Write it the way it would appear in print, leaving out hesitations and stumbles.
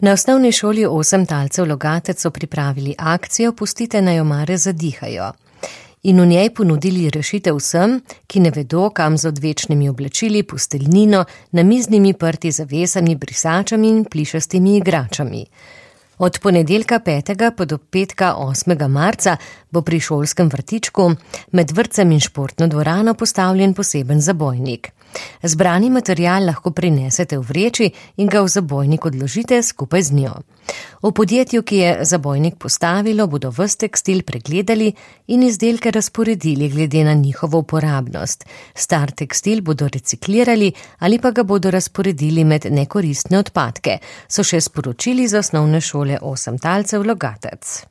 Na osnovni šoli 8 talcev Logatec so pripravili akcijo Pustite naj omare zadihajo in v njej ponudili rešitev vsem, ki ne vedo, kam z odvečnimi oblačili, posteljnino, namiznimi prti zavesami, brisačami in plišastimi igračami. Od ponedeljka 5. pa do petka 8. marca bo pri šolskem vrtičku med vrtcem in športno dvorano postavljen poseben zabojnik. Zbrani material lahko prinesete v vreči in ga v zabojnik odložite skupaj z njo. V podjetju, ki je zabojnik postavilo, bodo ves tekstil pregledali in izdelke razporedili glede na njihovo uporabnost. Star tekstil bodo reciklirali ali pa ga bodo razporedili med nekoristne odpadke, so še sporočili z osnovne šole 8 talcev Logatec.